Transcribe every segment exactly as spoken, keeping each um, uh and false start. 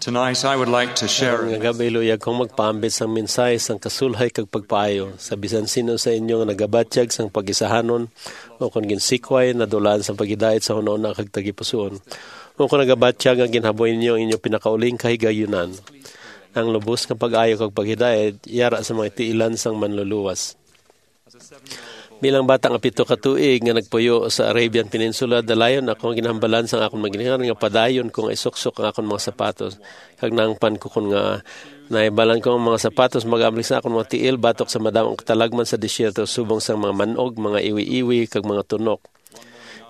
Tonight, I would like to share Karong nga gab-i, luyag kong magpaambit sang mensahe sang kasulhay kag pagpaayo sa bisan sino sa inyo nga nagabatyag sang pag-isahanon o kon ginsikway, nadulaan sang paghidait sa hunahuna kag tagipusoon, o kon nagabatyag nga ginhaboy ninyo ang inyo pinakauling kahigayunan. Ang lubos nga pag-ayo kag paghidait yara sa mga tiilan sang Manluluwas. Bilang bata nga pito ka tuig nga nagpuyo sa Arabian Peninsula, dalayon ako nga ginhambalan sang akon mga ginikanan nga padayon ko nga isuksok ang akon mga sapatos. Kag nangpan ko kon nga nahibalan ko ang mga sapatos mag-amlig sa akon mga tiil batok sa madamo nga katalagman sa desierto, subong sang mga man-og, mga iwi-iwi, kag mga tunok.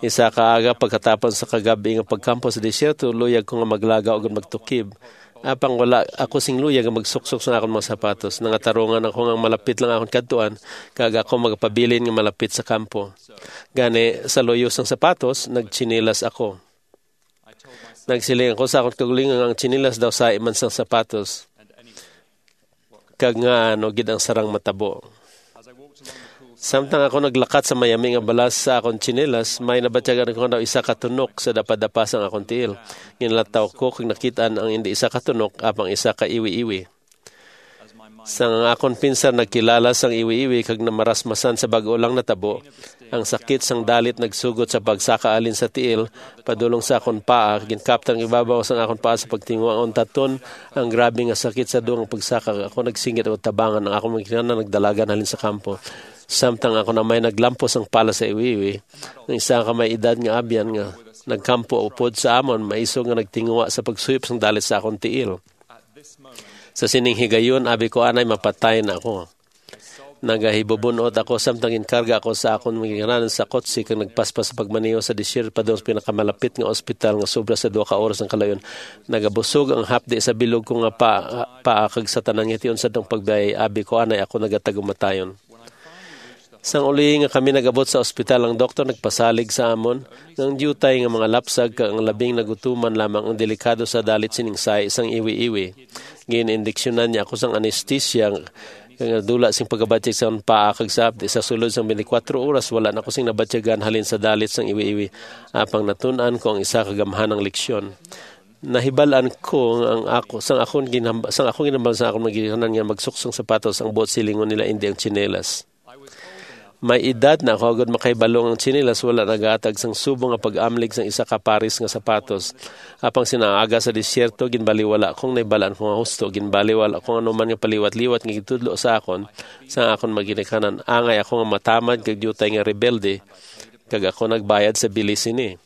Isa ka aga, pagkatapos sa kagab-i nga pagkampo sa desierto, luyag ko nga maglaga ug magtukib. Apang wala ako sing luyag nga magsuksok sa akon mga sapatos. Nangatarungan ako nga malapit lang akon kadtuan, kag ako magapabilin nga malapit sa kampo. Gani, sa luyo sang sapatos, nagtsinilas ako. Nagsiling ako sa akon kaugalingon nga ang tsinilas daw sahi man sang sapatos, kag nga ano gid ang sarang matabo. Samtang ako naglakat sa mayami nga balas sa akon tsinelas, may nabatyagan ko nga daw isa ka tunok sa dapadapa sang akon tiil. Ginlataw ko kag nakit-an ang indi isa ka tunok, apang isa ka iwi-iwi. Sang ang akon pinsar nagkilala sang iwi-iwi kag namarasmasan sa bag-o lang natabo, ang sakit sang dalit nagsugod sa pagsaka halin sa tiil padulong sa akon paa, ginkaptan ang ibabaw sang akon paa sa pagtinguha nga untaton ang grabe nga sakit sa dugang pagsaka. Ako nagsingit og tabangan, ang akon mga ginikanan nagdalagan halin sa kampo. Samtang ako na may naglampos ang pala sa iwi-iwi, ang isa ka may edad nga abyan nga nagkampo upod sa amon, maisog nga nagtinguha sa pagsuyop sang dalit sa akon tiil. Sa sining higayon, abi ko anay mapatay na ako. Nagahibubun-ot ako samtang ginkarga ako sa akon mga ginikanan sa kotse kag nagpaspas sa pagmaneho sa desierto padulong sa pinakamalapit nga ospital nga sobra sa duha ka oras ang kalayon. Nagabusog ang hapdi sa bilog ko nga pa, paa kag sa tanan nga hition sa atong pagbiyahe, abi ko anay ako nagatagumatayon. Sang uli nga kami nag-abot sa ospital, ang doktor nagpasalig sa amon nga ang diutay nga mga lapsag kag ang labing nagutuman lamang ang delikado sa dalit sining sahi sang iwi-iwi. Gin-indiksyonan niya ako sang anesthesia nga dula sing pagkabatyag sa paa kag sa hapdi. Sa sulod sang twenty-four oras, wala na ko sing nabatyagan halin sa dalit sang iwi-iwi, apang natun-an ko ang isa ka gamhanang leksyon. Nahibal-an ko nga ang ako, sang akon ginhamba-, sang akon ginhambal sa akon mga ginikanan nga magsuksong sapatos ang buot silingon nila, indi ang tsinelas. May edad na ako, agud makahibalo nga ang tsinelas wala nagahatag sang subong nga pag-amlig sang isa ka pares nga sapatos. Apang sinang aga sa desierto, ginbaliwala kong nahibalaan ko nga husto. Ginbaliwala kong anuman nga paliwat-liwat nga gitudlo sa akon sang akon mga ginikanan. Angay ako nga matamad kag diutay nga rebelde, kag ako nagbayad sa bili sini.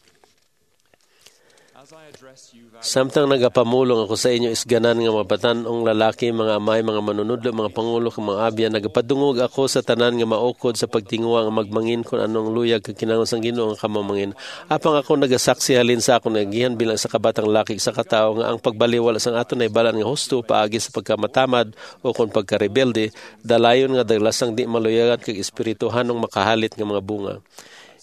Samtang nagapamulong ako sa inyo, isganan nga mga batan-ong lalaki, mga amay, mga manunodlo, mga pangulo, kag mga abyan, nagapadungog ako sa tanan nga maukod sa pagtinguha nga magmangin kon ano ang luyag kag kinahanglan sang Ginoo nga kamo mangin. Apang ako nagasaksi halin sa akon agihan bilang isa ka batang laki, isa ka tawo, nga ang pagbaliwala sang aton nahibalaan nga husto paagi sa pagkamatamad o kon pagkarebelde, dalayon nga dalasang di maluyagan kag espirituhanong makahalit nga mga bunga.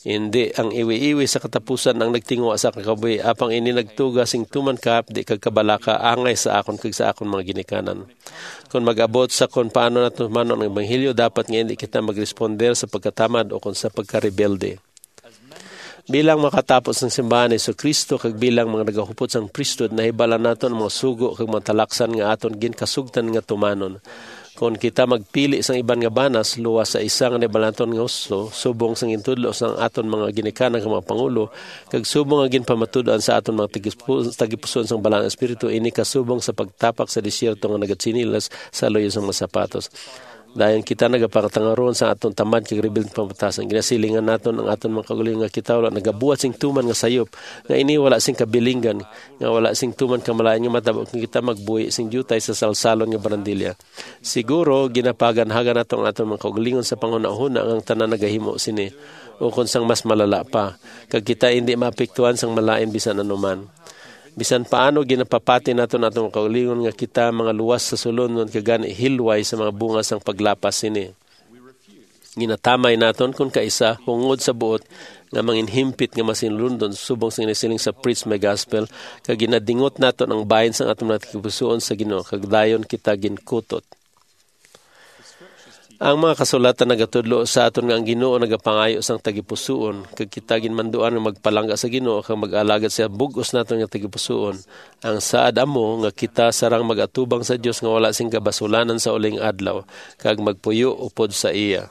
Indi ang iwi-iwi sa katapusan ang nagtinguha sa kakabuhi, apang ini nagtuga sing tuman kahapdi kag kabalaka angay sa akon kag sa akon mga ginikanan. Kon mag-abot sa kon paano nato tumanon ang ebanghelyo, dapat nga indi kita magresponder sa pagkatamad o kon sa pagkarebelde. Bilang makatapos sang simbahan ni Jesu-Cristo kag bilang mga nagahupot sang priesthood, nahibalaan naton ang mga sugo kag mga talaksan nga aton ginkasugtan nga tumanon. Kon kita magpili sang iban nga banas, luwas sa isa nga nahibalaan naton nga husto, subong sang gintudlo sang aton mga ginikanan kag mga pangulo, kag subong nga ginpamatud-an sa aton mga tagipu-, tagipusoon sang Balaan nga Espiritu, ini kasubong sa pagtapak sa desierto nga nagatsinilas sa luyo sang mga sapatos. Dayon kita nagapangatangaron sa aton tamad kag rebelde nga pamatasan. Ginasilingan naton ang aton mga kaugalingon nga kita wala nagabuhat sing tuman nga sayop, nga ini wala sing kabilinggan, nga wala sing tuman kamalayan nga matabo kon kita magbuhi sing diutay sa salsalon nga barandilya. Siguro, ginapaganhagan nato ang aton mga kaugalingon sa panghunahuna nga ang tanan nagahimo sini, ukon sang mas malala pa, kag kita indi maapektuhan sang malain bisan ano man. Bisan paano, ginapapati naton ang aton kaugalingon nga kita mga luwas sa sulunod kag gani hilway sa mga bunga sang paglapas sini. Ginatamay naton kon kaisa hungod sa buot nga manginhimpit nga masinulundon subong sa ginasiling sa Preach My Gospel, kag ginadingot naton ang bahin sang aton mga tagipusoon sa Ginoo, kag dayon kita ginkutot. Ang mga kasulatan nagatudlo sa aton nga ang Ginoo nagapangayo sang tagipusoon, kag kita ginmanduan nga magpalangga sa Ginoo kag mag-alagad sa bug-os naton nga tagipusoon. Ang saad amo nga kita sarang mag-atubang sa Dios nga wala sing kabasulanan sa uling adlaw, kag magpuyo upod sa iya.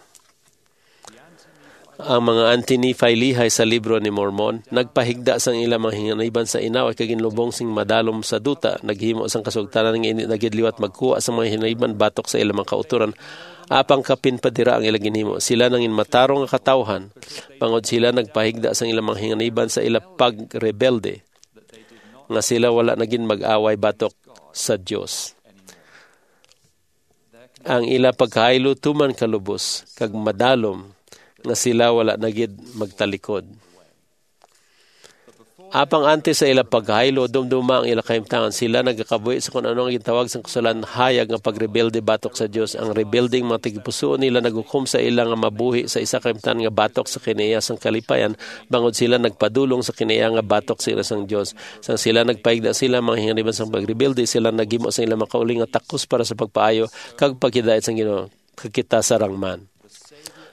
Ang mga anti-Nephi-Lehi sa Libro ni Mormon nagpahigda sang ila mga hinganiban sa inaway kag ginlubong sing madalom sa duta, naghimo sang kasugtanan nga indi na gid liwat magkuha sang mga hinganiban batok sa ila mga kautoran, apang kapin pa dira ang ila ginhimo. Sila nangin matarong nga katawhan, bangod sila nagpahigda sang ila mga hinganiban sa ila pagrebelde, nga sila wala na gid mag-away batok sa Dios. Ang ila pagkahaylo tuman kalubos kag madalom nga sila wala na gid magtalikod. Apang antes sa ila pagkahaylo, dumduma ang ila kahimtangan. Sila nagakabuhi sa kun ano nga gintawag sang kasulatan hayag nga pagrebelde batok sa Dios. Ang rebeldeng mga tagipusoon nila naghukom sa ila nga mabuhi sa isa ka kahimtangan nga batok sa kinaiya sang kalipayan, bangod sila nagpadulong sa kinaiya nga batok sa ila sang Dios. Sang sila nagpaigda sila mga hinganiban sang pagrebelde, sila naghimo sang ilang makauling nga takos para sa pagpaayo kag paghidait sang Ginoo, kag kita sarang man.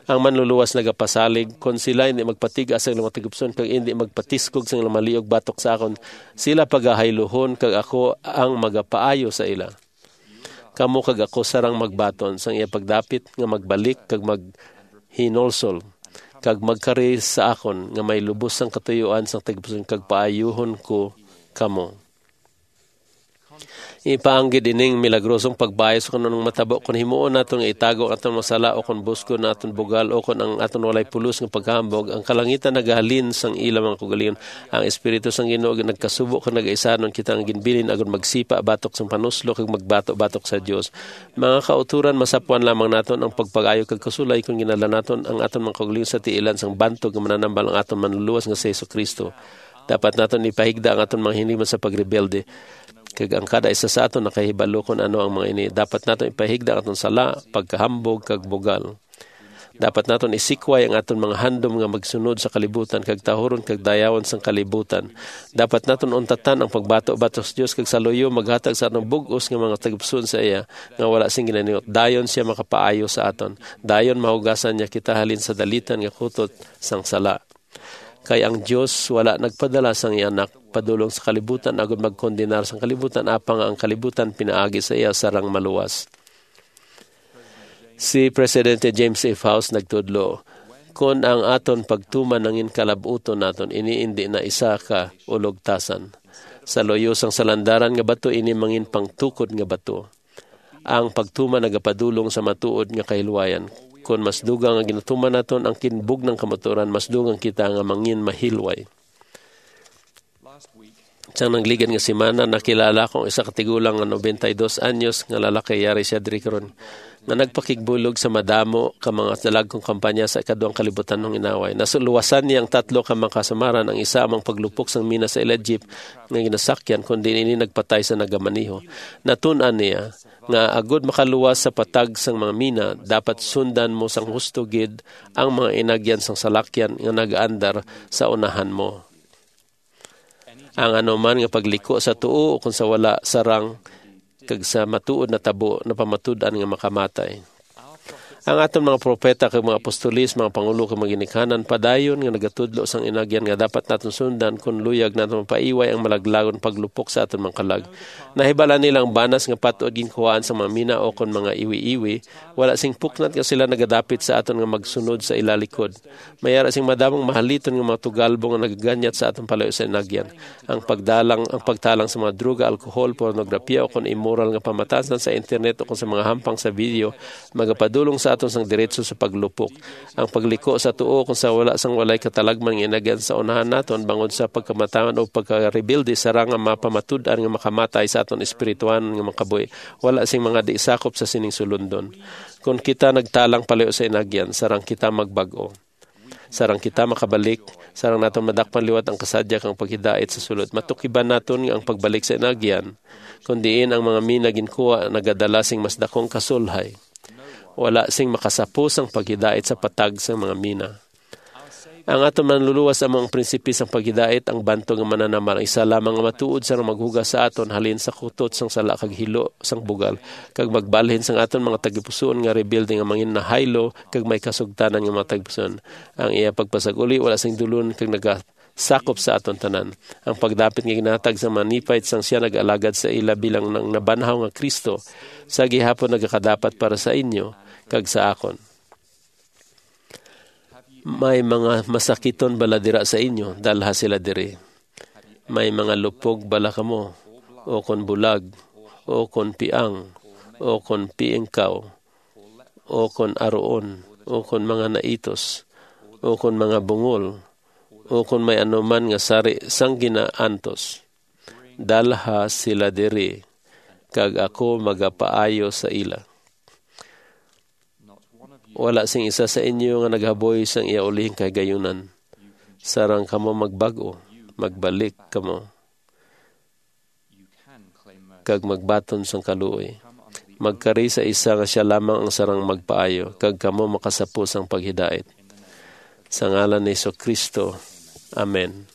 Ang Manluluwas nagapasalig, "Kon sila indi magpatigas sa ilang mga tagipusoon kag indi magpatisgog sa ilang maliog batok sa akon, sila pagahayluhon, kag ako ang magapaayo sa ila." Kamo kag ako sarang magbaton sang iya pagdapit nga magbalik kag maghinulsol, kag magkari sa akon nga may lubos sang katuyuan sang tagipusoon, kag paayuhon ko kamo. Ipaanggid ining milagrosong pagbayo sa kun anong matabo kon himuon naton nga itago ang aton mga sala, o kon busgon ang aton bugal, o kon ang aton walay pulos nga paghambog. Ang kalangitan nagahalin sang ila mga kaugalingon. Ang Espiritu sang Ginoo nagkasubo kag nagaisanon kita nga ginbilin agud magsipa batok sang panuslo kag magbato batok sa Dios. Mga kauturan, masapwan lamang naton ang pagpagayo kag kasulay kon ginadala naton ang aton mga kaugalingon sa tiilan sang bantog nga mananambal, ang aton Manluluwas nga si Jesu-Cristo. Dapat naton ipahigda ang aton mga hinigman sa pagrebelde, kag ang kada isa sa aton nakahibalo kon ano ang mga ini. Dapat naton ipahigda ang aton sala, pagkahambog, kag bugal. Dapat naton isikway ang aton mga handom nga magsunod sa kalibutan kag tahuron kag dayawon sang kalibutan. Dapat naton untatan ang pagbato batok sa Dios kag sa luyo maghatag sa aton bug-os nga mga tagipusoon sa iya nga wala sing ginaningot. Dayon sia makapaayo sa aton. Dayon mahugasan niya kita halin sa dalitan nga kutot sang sala. Kay ang Dios wala nagpadala sang iya Anak padulong sa kalibutan agud magkondenar sang kalibutan, apang ang kalibutan pinaagi sa iya sarang maluwas. Si Presidente James A. Faust nagtudlo, "Kon ang aton pagtuman nangin kalab-uton naton, ini indi na isa ka ulogtasan. Sa luyo sang salandaran nga bato, ini mangin pangtukod nga bato. Ang pagtuman nagapadulong sa matuod nga kahilwayan. Kon mas dugang nga ginatuman naton ang kinbugnang kamatuoran, mas dugang kita nga mangin mahilway." Sang nagligad nga semana, nakilala ko ang isa ka tigulang nga nobenta y dos anyos nga lalaki, yari sia diri karon, nga nagpakigbulog sa madamo ka mga dalagkong kampanya sa ikaduhang kalibutanong inaway. Nasuluwasan niya ang tatlo ka mga kasamaran, ang isa amo ang paglupok sang mina sa ila jeep nga ginasakyan, kundi ini nagpatay sa nagamaneho. Natun-an niya nga agud makaluwas sa patag sang mga mina, dapat sundan mo sang husto gid ang mga inagyan sang salakyan nga nagaandar sa unahan mo. Ang anuman nga pagliko sa tuo ukon sa wala, sarang kag sa matuod natabo, napamatud-an nga makamatay. Ang aton mga propeta kag mga apostoles, mga pangulo kag mga ginikanan, padayon nga nagatudlo sang inagyan nga dapat naton sundan kon luyag naton mapaiway ang malaglagon paglupok sa aton mga kalag. Nahibal-an nila ang banas nga pat-od ginkuhaan sa mga mina ukon mga iwi-iwi. Wala sing puknat nga sila nagadapit sa aton nga magsunod sa ila likod. May ara sing madamong mahaliton nga mga tugalbo nga nagaganyat sa aton palayo sa inagyan. Ang pagdalang, ang pagtalang sa mga droga, alkohol, pornografiya, ukon imoral nga pamatasan sa internet ukon sa mga hampang sa video, magapadulong sa aton sang diretso sa paglupok. Ang pagliko sa tuo ukon sa wala sang walay katalagman nga inagyan sa unahan naton bangod sa pagkamatangan o pagkarebelde, sarang nga mapamatud-an nga makamatay sa aton espirituhanon nga mga kabuhi. Wala sing mga di sakop sa sining sulundon. Kon kita nagtalang palayo sa inagyan, sarang kita magbag-o. Sarang kita makabalik, sarang naton madakpan liwat ang kasadya kang paghidait sa sulod. Matukiban naton nga ang pagbalik sa inagyan, kon diin ang mga mina ginkuha, nagadala sing mas dakong kasulhay. Wala sing makasapo sang paghidait sa patag sang mga mina. Ang aton Manluluwas amo ang prinsipe sang paghidait, ang bantog nga mananambal, ang isa lamang nga matuod sang maghugas sa aton halin sa kutot sang sala kag hilo sang bugal, kag magbalhin sang aton mga tagipusoon nga rebelde nga mangin nahaylo kag may kasugtanan nga mga tagipusoon. Ang iya pagpasag-uli wala sing dulon kag nagasakop sa aton tanan. Ang pagdapit nga ginahatag sa mga Nephite sang siya nag-alagad sa ila bilang nang nabanhaw nga Kristo, sa gihapon nagakadapat para sa inyo kag sa akon. May mga masakiton bala dira sa inyo? Dalha sila diri. May mga lupog bala kamo, o kon bulag, o kon piang, o kon piingkaw, o kon aruon, o kon mga naitos, o kon mga bungol, o kon may anuman nga sari sang ginaantos? Dalha sila diri, kag ako magapaayo sa ila. Wala sing isa sa inyo nga naghaboy sang iya ulihing kahigayunan. Sarang kamo magbag-o, magbalik kamo, kag magbaton sang kaluoy. Magkari sa isa nga sia lamang ang sarang magpaayo, kag kamo makasapo sang paghidait. Sa ngalan ni Jesu-Cristo, amen.